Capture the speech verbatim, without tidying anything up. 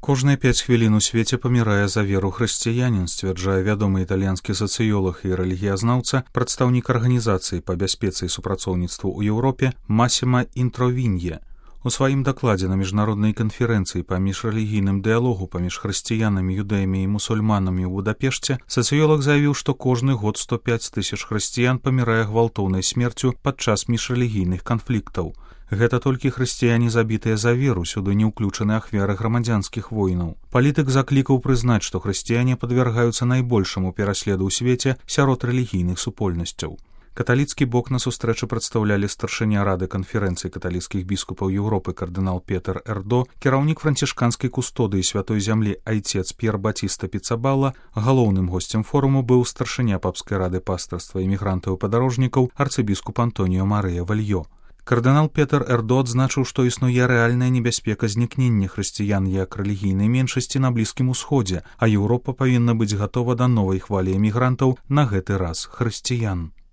Кожныя пяць хвілін у свеце памірае за веру хрысціянін, сцвярджае вядомы італьянскі сацыёлаг і рэлігіязнаўца, прадстаўнік арганізацыі па бяспецы і супрацоўніцтву ў Еўропе Масіма Інтровінье. У сваім дакладзе на міжнароднай канферэнцыі па міжрэлігійным дыялогу паміж хрысціянамі, юдэямі і мусульманамі ў Будапешце сацыёлаг заявіў, што кожны год сто пяць тысяч хрысціян памірае гвалтоўнай смерцю падчас міжрэлігійных канфліктаў. Гэта толькі хрысціяне, забітыя за веру, сюды не ўключаны ахвяры грамадзянскіх войнаў. Палітык заклікаў прызнаць, што хрысціяне падвяргаюцца найбольшаму пераследу ў свеце сярод рэлігійных супольнасцяў. Каталіцкі бок на сустрэчы прадстаўлялі старшыня рады канферэнцыі каталіцкіх біскупаў Еўропы кардынал Петер Эрдо, кіраўнік францішканскай кустодыі святой зямлі айцец П'ер Батіста Піцабалла. Галоўным госцем форуму быў старшыня папскай рады пастырства імігрантаў і падарожнікаў арцыбіскуп Антоніо Марыя Вальё. Кардынал Петер Эрдо адзначыў, што існуе рэальная небяспека знікнення хрысціян як рэлігійнай меншасці на Блізкім Усходзе, а Еўропа павінна быць гатова да новай хвалі эмігрантаў, на гэты раз хрысціян.